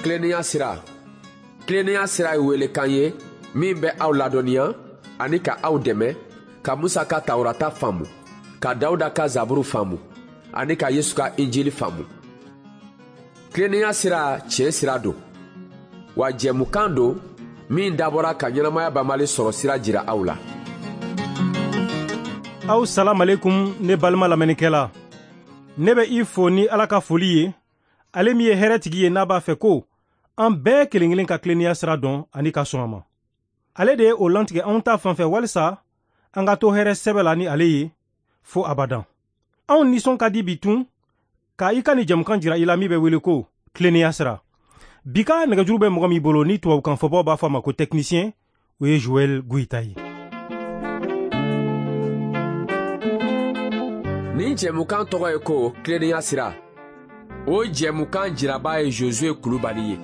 Tilennenya sira. Tilennenya sira ye welekan ye min bɛ aw ladɔnniya ani ka aw dɛmɛ ka Musa ka Tawurata faamu, ka Dawuda ka Zaburu faamu ani ka Yesu ka Injili faamu. Tilennenya sira tiɲɛ sira don, wa jɛmukan don min dabɔra ka ɲɛnamaya banbali sɔrɔ sira jira aw la. Aw salamalekun, ne balima lamɛnnikɛla. Ne bɛ i fo ni Ala ka foli ye, ale min ye hɛrɛtigi ye, n'a b'a fɛ ko an bɛɛ kelen kelen ka tilennenya sira dɔn ani ka sɔn a ma. Ale de ye o lantigɛ anw ta fan fɛ walisa an ka to hɛrɛ sɛbɛ la ni ale ye fo abadan. Anw nisɔn ka di bi tun ka i ka nin jɛmukan jira i la min bɛ wele ko tilennenya sira. Bi ka nɛgɛjuru bɛ mɔgɔ min bolo ni tubabukan fɔbaw b'a fɔ a ma ko technicien, o ye Joël Goïta ye. Nin jɛmukan tɔgɔ ye ko tilennenya sira. O jɛmukan jiraba ye Josué Kulubali ye.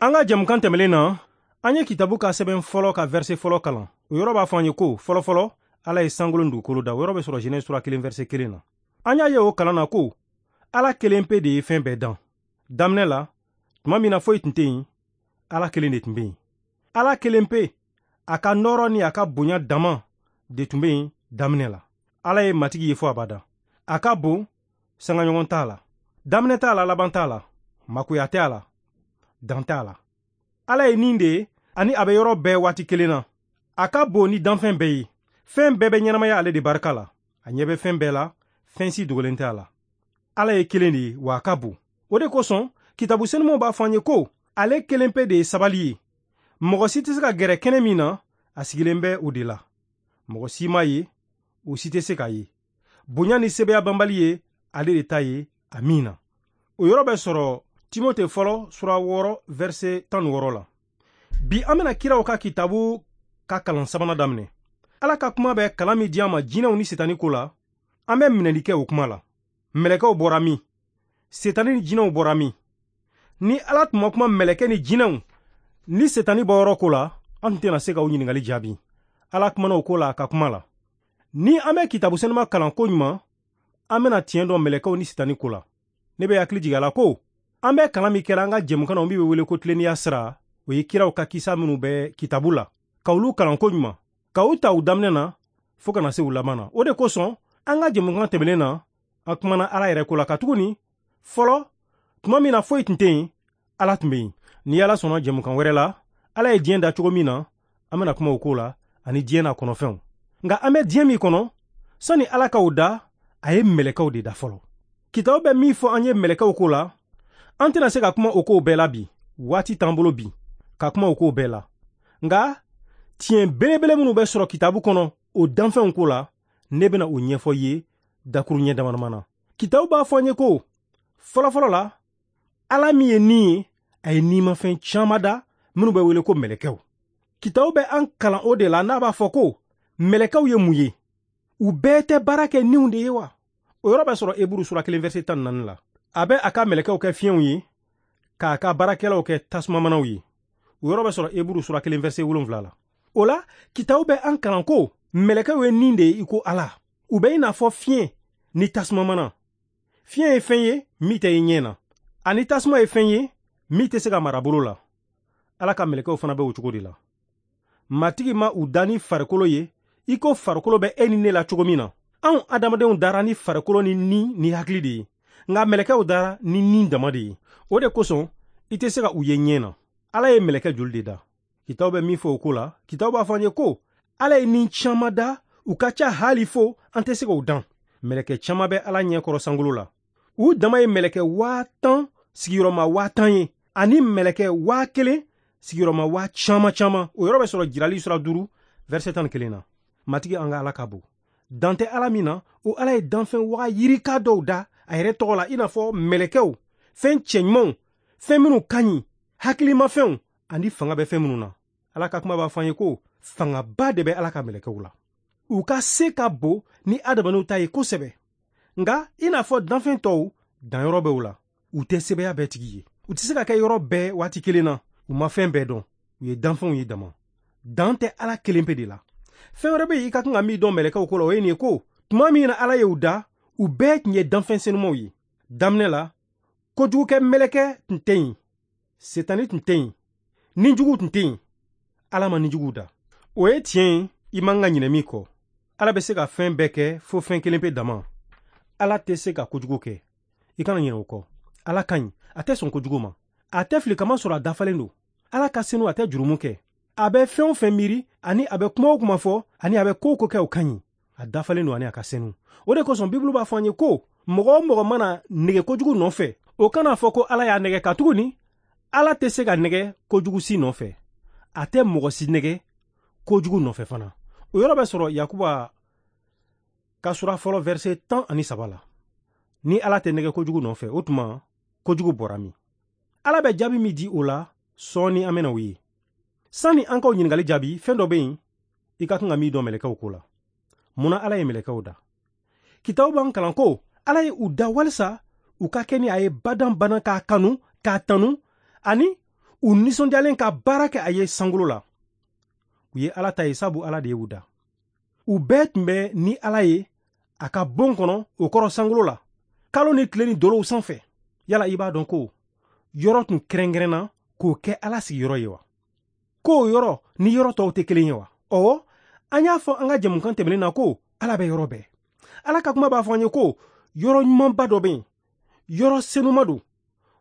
An ka jɛmukan tɛmɛlen na, an ye kitabu ka sɛbɛn fɔlɔ ka verset fɔlɔ kalan. O yɔrɔ b'a fɔ an ye ko fɔlɔfɔlɔ Ala ye sankolo ni dugukolo da. O yɔrɔ bɛ sɔrɔ Genèse sura 1 verset 1 na. An y'a ye o kalan na ko Ala kelen pe de ye fɛn bɛɛ dan. Daminɛ la, tuma min na foyi tun tɛ yen, Ala kelen de tun bɛ yen. Ala kelen pe, a ka nɔɔrɔ ni a ka bonya dama de tun bɛ yen daminɛ la. Ala ye matigi ye fo abada. A ka bon, sangaɲɔgɔn t'a la. Daminɛ t'a la, laban t'a la. Makoya tɛ a la, dan t'a la. Ala ye nin de ye, ani a bɛ yɔrɔ bɛɛ waati kelen na. A ka bon ni danfɛn bɛɛ ye. Fɛn bɛɛ bɛ ɲɛnamaya ale de barika la. A ɲɛ bɛ fɛn bɛɛ la, fɛn si dogolen tɛ a la. Ala ye kelen de ye, wa a ka bon. O de kosɔn, kitabu senumanw b'a fɔ an ye ko ale kelen pe de ye sabali ye. Mɔgɔ si tɛ se ka gɛrɛ kɛnɛ min na, a sigilen bɛ o de la. Mɔgɔ si m'a ye, o si tɛ se k'a ye. Bonya ni sebeya banbali ye ale de ta ye, amiina. O yɔrɔ bɛ sɔrɔ Timote fɔlɔ sura 6 verset 16 la. Bi an bɛna kiraw ka kitabu ka kalan sabanan daminɛ. Ala ka kuma bɛ kalan min di an ma jinɛw ni setani ko la, an bɛ minɛli kɛ o kuma la. Mɛlɛkɛw bɔra min? Setani ni jinɛw bɔra min? Ni Ala tun ma kuma mɛlɛkɛ ni jinɛw ni setani bɔyɔrɔ ko la, an tun tɛna se ka o ɲininkali jaabi. Ala kumana o ko la a ka kuma la. Ni an bɛ kitabu senuma kalan ko ɲuman, an bɛna tiɲɛ dɔn mɛlɛkɛw ni setani ko la. Ne bɛ hakili jigin a la ko an bɛ kalan min kɛra an ka jɛmukan na, min bɛ wele ko tilennenya sira, o ye kiraw ka kisa minnu bɛ kitabu la, ka olu kalan ko ɲuman, ka u ta u daminɛ na fo ka na se u laban na. O de kosɔn an ka jɛmukan tɛmɛnen na, an kumana Ala yɛrɛ ko la, katuguni fɔlɔ tuma min na foyi tun tɛ yen, Ala tun bɛ yen. Ni Ala sɔnna jɛmukan wɛrɛ la, Ala ye diɲɛ da cogo min na, an bɛna kuma o ko la ani diɲɛ n'a kɔnɔfɛnw. Nka an bɛ diɲɛ min kɔnɔ, sani Ala ka o da, a ye mɛlɛkɛw de da fɔlɔ. Kitabu bɛ min fɔ an ye mɛlɛkɛw ko la, an tɛna se ka kuma o kow bɛɛ la bi. Waati t'an bolo bi ka kuma o kow bɛɛ la. Nka tiɲɛ belebele minnu bɛ sɔrɔ kitabu kɔnɔ o danfɛnw ko la, ne bɛna o ɲɛfɔ i ye dakuruɲɛ damadama na. Kitabu b'a fɔ an ye ko fɔlɔfɔlɔ la, Ala min ye ni ye, a ye nimafɛn caman da minnu bɛ wele ko mɛlɛkɛw. Kitabu bɛ an kalan o de la n'a b'a fɔ ko mɛlɛkɛw ye mun ye? U bɛɛ tɛ baara kɛ niw de ye wa? O yɔrɔ bɛ sɔrɔ Eburu sura 1 verset 14 la. A bɛ a ka mɛlɛkɛw kɛ fiɲɛw ye, k'a ka baarakɛlaw kɛ tasumamanaw ye. O yɔrɔ bɛ sɔrɔ Eburu sura 1 verset 7 la. O la, kitabu bɛ an kalan ko mɛlɛkɛw ye nin de ye i ko Ala. U bɛ i n'a fɔ fiɲɛ ni tasumamana. Fiɲɛ ye fɛn ye min tɛ i ɲɛ na, ani tasuma ye fɛn ye min tɛ se ka mara bolo la. Ala ka mɛlɛkɛw fana bɛ o cogo de la. Matigi ma u da ni farikolo ye i ko farikolo bɛ e ni ne la cogo min na. Anw adamadenw dara ni farikolo ni ni ni hakili de ye, nka mɛlɛkɛw dara ni ni dama de ye. O de kosɔn i tɛ se ka u ye ɲɛ na. Ala ye mɛlɛkɛ joli de da? Kitabu bɛ min fɔ o ko la, kitabu b'a fɔ an ye ko Ala ye ni caman da, u ka ca hali fo an tɛ se k'o dan. Mɛlɛkɛ caman bɛ Ala ɲɛ kɔrɔ sankolo la. U dama ye mɛlɛkɛ 10,000 sigiyɔrɔma 10,000 ye, ani mɛlɛkɛ 1,000 sigiyɔrɔma 10,000 caman. O yɔrɔ bɛ sɔrɔ Jirali sura 5 verset 11 na. Matigi an ka Ala ka bon. Dan tɛ Ala min na, o Ala ye danfɛn waga yirika dɔw da a yɛrɛ tɔgɔ la, i n'a fɔ mɛlɛkɛw, fɛn cɛɲumanw, fɛn minnu ka ɲi, hakilimafɛnw ani fanga bɛ fɛn minnu na. Ala ka kuma b'a fɔ an ye ko fangaba de bɛ Ala ka mɛlɛkɛw la. U ka se ka bon ni adamadenw ta ye kosɛbɛ. Nka i n'a fɔ danfɛn tɔw, danyɔrɔ bɛ u la. U tɛ sebeya bɛɛ tigi ye. U tɛ se ka kɛ yɔrɔ bɛɛ waati kelen na. U ma fɛn bɛɛ dɔn. U ye danfɛnw ye dama. Dan tɛ Ala kelen pe de la. Fɛn wɛrɛ bɛ yen i ka kan ka min dɔn mɛlɛkɛw ko la, o ye nin ye ko tuma min na Ala ye u da, u bɛɛ tun ye danfɛn senumaw ye. Daminɛ la, kojugukɛ mɛlɛkɛ tun tɛ yen. Setani tun tɛ yen, nijuguw tun tɛ yen, Ala ma nijuguw da. O ye tiɲɛ ye, i man ka ɲinɛ min kɔ. Ala bɛ se ka fɛn bɛɛ kɛ fo fɛn kelen pe dama. Ala tɛ se ka kojugu kɛ. I kana ɲinɛ o kɔ. Ala ka ɲi, a tɛ sɔn kojugu ma. A tɛ fili kamasɔrɔ a dafalen don. Ala ka senu, a tɛ jurumu kɛ. A bɛ fɛn o fɛn miiri, ani a bɛ kuma o kuma fɔ, ani a bɛ ko o ko kɛ, o ka ɲi. A dafalen don ani a ka senu. O de kosɔn Bibulu b'a fɔ an ye ko mɔgɔ o mɔgɔ mana nege kojugu nɔfɛ, o kana fɔ ko Ala y'a nɛgɛ, katuguni Ala tɛ se ka nɛgɛ kojugu si nɔfɛ. A tɛ mɔgɔ si nɛgɛ kojugu nɔfɛ fana. O yɔrɔ bɛ sɔrɔ Yakuba ka sura fɔlɔ verset 13 la. Ni Ala tɛ nɛgɛ kojugu nɔfɛ, o tuma kojugu bɔra min? Ala bɛ jaabi min di o la, sɔɔni an bɛna o ye. Sani an k'o ɲininkali jaabi, fɛn dɔ bɛ yen i ka kan ka min dɔn mɛlɛkɛw ko la. Munna Ala ye mɛlɛkɛw da? Kitabu b'an kalan ko Ala ye u da walisa u ka kɛ ni a ye badan badan, k'a kanu, k'a tanu, ani u nisɔndiyalen ka baara kɛ a ye sankolo la. U ye Ala ta ye, sabu Ala de ye u da. U bɛɛ tun bɛ ni Ala ye a ka bon kɔnɔ, o kɔrɔ sankolo la, kalo ni tile ni dolow sanfɛ. Yala i b'a dɔn ko yɔrɔ tun kɛrɛnkɛrɛnna k'o kɛ Ala sigiyɔrɔ ye wa? K'o yɔrɔ ni yɔrɔ tɔw tɛ kelen ye wa? Ɔwɔ, an y'a fɔ an ka jɛmukan tɛmɛnen na ko Ala bɛ yɔrɔ bɛɛ. Ala ka kuma b'a fɔ an ye ko yɔrɔ ɲumanba dɔ bɛ yen, yɔrɔ senuma don,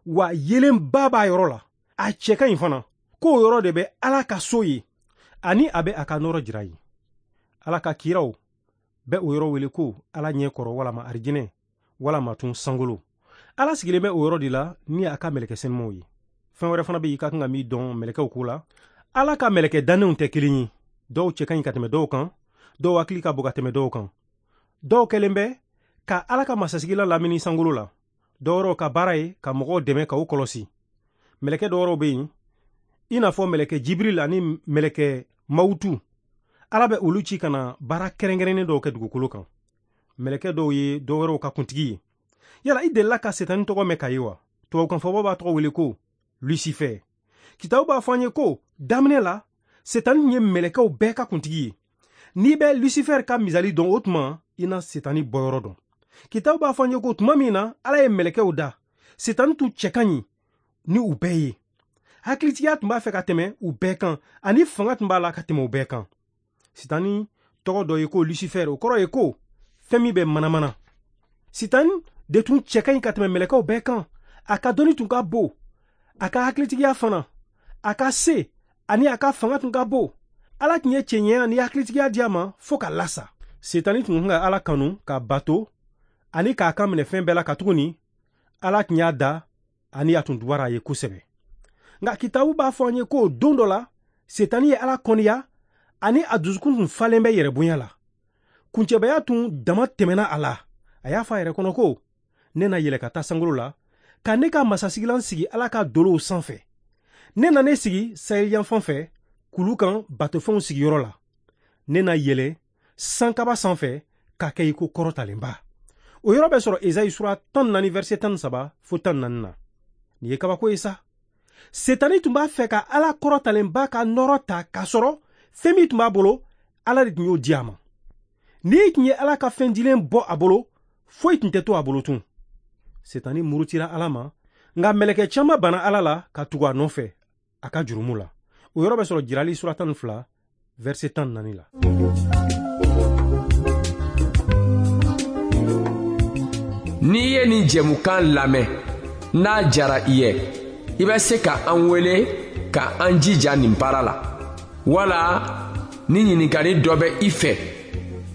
wa yeelenba b'a yɔrɔ la, a cɛ ka ɲi fana. K'o yɔrɔ de bɛ Ala ka so ye, ani a bɛ a ka nɔrɔ jira yen. Ala ka kiraw bɛ o yɔrɔ wele ko Ala ɲɛ kɔrɔ, walama arijinɛ, walama tun sankolo. Ala sigilen bɛ o yɔrɔ de la ni a ka mɛlɛkɛ senumaw ye. Fɛn wɛrɛ fana bɛ yen i ka kan ka min dɔn mɛlɛkɛw ko la. Ala ka mɛlɛkɛ dannenw tɛ kelen ye. Dɔw cɛ ka ɲi ka tɛmɛ dɔw kan, dɔw hakili ka bon ka tɛmɛ dɔw kan. Dɔw kɛlen bɛ ka Ala ka masasigilan lamini sankolo la. Dɔw wɛrɛw ka baara ye ka mɔgɔw dɛmɛ ka u kɔlɔsi. Mɛlɛkɛ dɔw wɛrɛw bɛ yen, i n'a fɔ mɛlɛkɛ Jibril ani mɛlɛkɛ Mawutu. Ala bɛ olu ci ka na baara kɛrɛnkɛrɛnnen dɔw kɛ dugukolo kan. Mɛlɛkɛ dɔw ye dɔw wɛrɛw ka kuntigi ye. Yala i delila ka Setani tɔgɔ mɛn ka ye wa? Tubabukanfɔbaw b'a tɔgɔ wele ko Lucifer. Kitabu b'a fɔ an ye ko daminɛ la, Setani tun ye mɛlɛkɛw bɛɛ ka kuntigi ye. N'i bɛ Lucifer ka misali dɔn, o tuma i na Setani bɔyɔrɔ dɔn. Kitabu b'a fɔ an ye ko tuma min na Ala ye mɛlɛkɛw da, Setani tun cɛ ka ɲi ni u bɛɛ ye. Hakilitigiya tun b'a fɛ ka tɛmɛ u bɛɛ kan, ani fanga tun b'a la ka tɛmɛ u bɛɛ kan. Sitani tɔgɔ dɔ ye ko Lucifer, o kɔrɔ ye ko fɛn min bɛ manamana. Sitani de tun cɛ ka ɲi ka tɛmɛ mɛlɛkɛw bɛɛ kan. A ka dɔnni tun ka bon, a ka hakilitigiya fana, a ka se ani a ka fanga tun ka bon. Ala tun ye cɛɲɛya ni hakilitigiya di a ma fo ka lasa. Setani tun kan ka Ala kanu, ka bato ani k'a kan minɛ fɛn bɛɛ la, katuguni Ala tun y'a da ani a tun dubara a ye kosɛbɛ. Nka kitabu b'a fɔ an ye ko don dɔ la, Setani ye Ala kɔniya ani a dusukun tun falen bɛ yɛrɛbonya la. Kuncɛbaya tun dama tɛmɛna a la. A y'a fɔ a yɛrɛ kɔnɔ ko ne na yɛlɛ ka taa sankolo la, ka ne ka masasigilan sigi Ala ka dolow sanfɛ. Ne na ne sigi saheliyanfan fɛ, kulu kan batofɛnw sigiyɔrɔ la. Ne na yɛlɛ sankaba sanfɛ ka kɛ i ko kɔrɔtalenba. O yɔrɔ bɛ sɔrɔ Ezayi sura 14 verset 13 fo 14 na. Nin ye kabako ye sa. Setani tun b'a fɛ ka Ala kɔrɔtalenba ka nɔrɔ ta, k'a sɔrɔ fɛn min tun b'a bolo, Ala de tun y'o di a ma. N'i tun ye Ala ka fɛn dilen bɔ a bolo, foyi tun tɛ to a bolo tun. Setani murutira Ala ma, nka mɛlɛkɛ caman banna Ala la ka tugu a nɔfɛ a ka jurumu la. O yɔrɔ bɛ sɔrɔ Jirali sura 12 verset 14 la. N'i ye nin jɛmukan lamɛn, n'a jara i ye, i bɛ se ka an wele ka an jija nin baara la. Wala ni ɲininkali dɔ bɛ i fɛ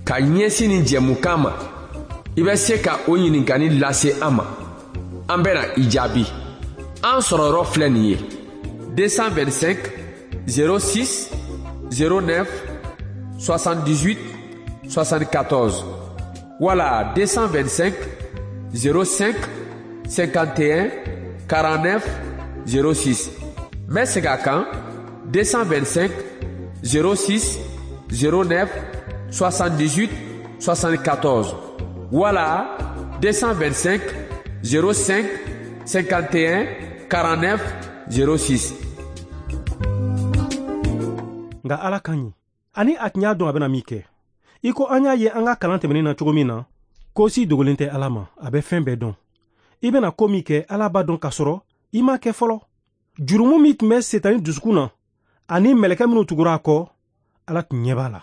ka ɲɛsin nin jɛmukan ma, i bɛ se ka o ɲininkali lase an ma. An bɛna i jaabi. An sɔrɔyɔrɔ filɛ nin ye: 225 06 09 78 74 wala 225 05 51 49 06. N bɛ segin a kan: 225 06 09 78 74 wala 225 05 51 49 06. Nka Ala ka ɲi, ani a tun y'a dɔn a bɛna min kɛ. I ko an y'a ye an ka kalan tɛmɛnen na cogo min na, ko si dogolen tɛ Ala ma, a bɛ fɛn bɛɛ dɔn. I bɛna ko min kɛ, Ala b'a dɔn k'a sɔrɔ i m'a kɛ fɔlɔ. Jurumu min tun bɛ Setani dusukun na ani mɛlɛkɛ minnu tugura a kɔ, Ala tun ɲɛ b'a la.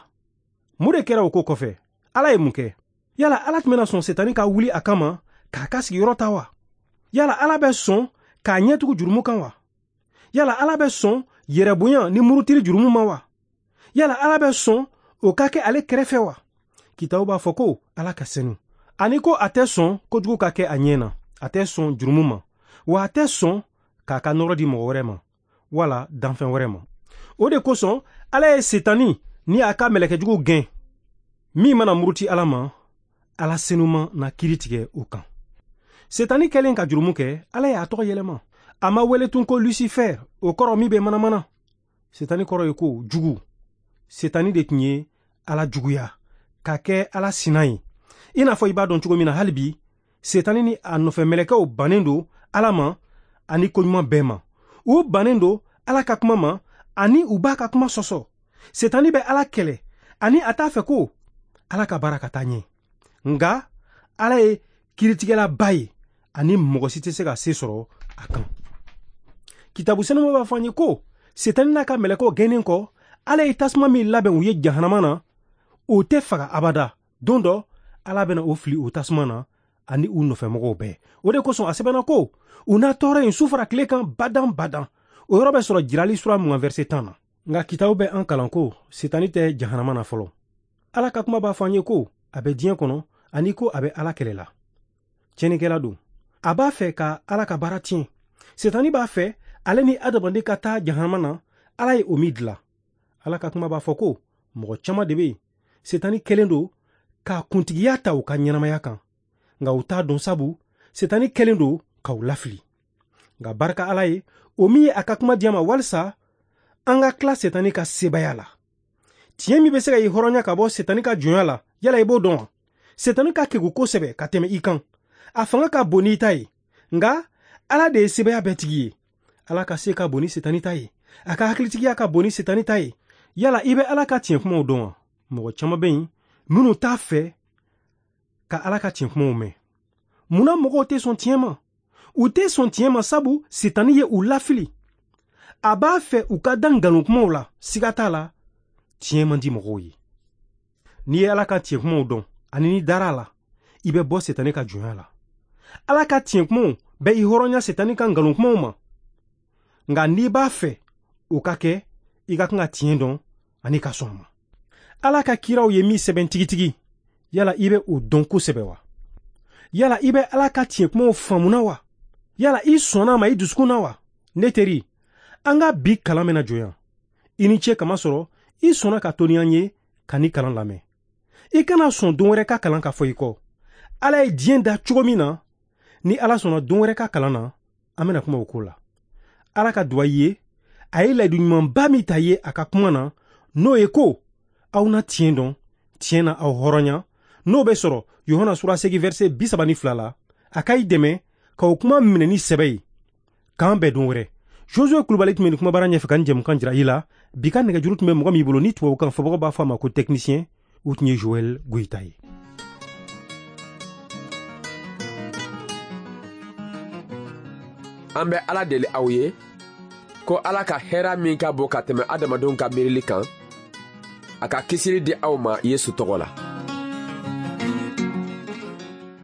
Mun de kɛra o ko kɔfɛ? Ala ye mun kɛ? Yala Ala tun bɛna sɔn Setani ka wuli a kama k'a ka sigiyɔrɔ ta wa? Yala Ala bɛ sɔn k'a ɲɛ tugu jurumu kan wa? Yala Ala bɛ sɔn yɛrɛbonya ni murutili jurumu ma wa? Yala Ala bɛ sɔn o ka kɛ ale kɛrɛfɛ wa? Kitabu b'a fɔ ko Ala ka senu, ani ko a tɛ sɔn kojugu ka kɛ a ɲɛ na, a tɛ sɔn jurumu ma, wa a tɛ sɔn k'a ka nɔrɔ di mɔgɔ wɛrɛ ma wala danfɛn wɛrɛ ma. O de kosɔn Ala ye Setani ni a ka mɛlɛkɛjuguw gɛn. Min mana muruti Ala ma, Ala senuma na kiiri tigɛ o kan. Setani kɛlen ka jurumu kɛ, Ala y'a tɔgɔ yɛlɛma. A ma wele tun ko Lucifer, o kɔrɔ min bɛ manamana. Setani kɔrɔ ye ko jugu. Setani de tun ye Ala juguya ka kɛ Ala sina ye. I n'a fɔ i b'a dɔn cogo min na, hali bi Setani ni a nɔfɛ mɛlɛkɛw bannen don Ala ma ani koɲuman bɛɛ ma. U bannen don Ala ka kuma ma ani u b'a ka kuma sɔsɔ. Setani bɛ Ala kɛlɛ ani a t'a fɛ ko Ala ka baara ka taa ɲɛ. Nka Ala ye kiiritigɛlaba ye ani mɔgɔ si tɛ se ka se sɔrɔ a kan. Kitabu senuma b'a fɔ an ye ko Setani n'a ka mɛlɛkɛw gɛnnen kɔ, Ala ye tasuma min labɛn u ye jahanama na, o tɛ faga abada. Don dɔ Ala bɛna o fili o tasuma na ani u nɔfɛmɔgɔw bɛɛ. O de kosɔn a sɛbɛnna ko u na tɔɔrɔ yen su fara tile kan badan badan. O yɔrɔ bɛ sɔrɔ Jirali sura 20 verset 10 na. Nka kitabu bɛ an kalan ko Setani tɛ jahanama na fɔlɔ. Ala ka kuma b'a fɔ an ye ko a bɛ diɲɛ kɔnɔ ani ko a bɛ Ala kɛlɛ la. Tiɲɛnikɛla don. A b'a fɛ ka Ala ka baara tiɲɛ. Setani b'a fɛ ale ni adamaden ka taa jahanama na, Ala ye o min dilan. Ala ka kuma b'a fɔ ko mɔgɔ caman de bɛ yen, Setani kɛlen don ka kuntigiya ta u ka ɲɛnamaya kan. Nka u t'a dɔn, sabu Setani kɛlen don k'u lafili. Nka barika Ala ye, o min ye a ka kuma di an ma walisa an ka tila Setani ka sebaaya la. Tiɲɛ min bɛ se ka i hɔrɔnya ka bɔ Setani ka jɔnya la, yala i b'o dɔn wa? Setani ka kegun kosɛbɛ ka tɛmɛ i kan. A fanga ka bon n'i ta ye. Nka Ala de ye sebaaya bɛɛ tigi ye. Ala ka se ka bon ni Setani ta ye. A ka hakilitigiya ka bon ni Setani ta ye. Yala i bɛ Ala ka tiɲɛ kumaw dɔn wa? Mɔgɔ caman bɛ yen minnu t'a fɛ ka Ala ka tiɲɛ kumaw mɛn. Munna mɔgɔw tɛ sɔn tiɲɛ ma? U tɛ sɔn tiɲɛ ma sabu Setani ye u lafili. A b'a fɛ u ka da nkalon kumaw la, siga t'a la, tiɲɛ man di mɔgɔw ye. N'i ye Ala ka tiɲɛ kumaw dɔn ani n'i dara a la, i bɛ bɔ Setani ka jɔnya la. Ala ka tiɲɛ kumaw bɛ i hɔrɔnya Setani ka nkalon kumaw ma. Nka n'i b'a fɛ o ka kɛ, i ka kan ka tiɲɛ dɔn ani ka sɔn a ma. Ala ka kiraw ye min sɛbɛn tigitigi, yala i bɛ o dɔn kosɛbɛ wa? Yala i bɛ Ala ka tiɲɛ kumaw faamuna wa? Yala i sɔnna a ma i dusukun na wa? Ne teri, an ka bi kalan bɛna jɔ yan. I ni ce kamasɔrɔ i sɔnna ka to ni an ye ka ni kalan lamɛn. I kana sɔn don wɛrɛ ka kalan ka fɔ i kɔ. Ala ye diɲɛ da cogo min na, ni Ala sɔnna don wɛrɛ ka kalan na, an bɛna kuma o ko la. Ala ka duwa i ye, a ye layidu ɲumanba min ta ye a ka kuma na, n'o ye ko aw na tiɲɛ dɔn, tiɲɛ na aw hɔrɔnya, n'o bɛ sɔrɔ Yohana sura 8 verset 32 la, a ka i dɛmɛ k'o kuma minɛ ni sɛbɛ ye. K'an bɛn don wɛrɛ. Josué Kulubali tun bɛ nin kumabara ɲɛfɛ ka nin jɛmukan jira i la. Bi ka nɛgɛjuru tun bɛ mɔgɔ min bolo ni tubabukan fɔbagaw b'a fɔ a ma ko technicien, o tun ye Joël Goyita ye. An bɛ Ala deli aw ye ko Ala ka hɛrɛ min ka bon ka tɛmɛ adamadenw ka miirili kan, a ka kisili di aw ma Yesu tɔgɔ la.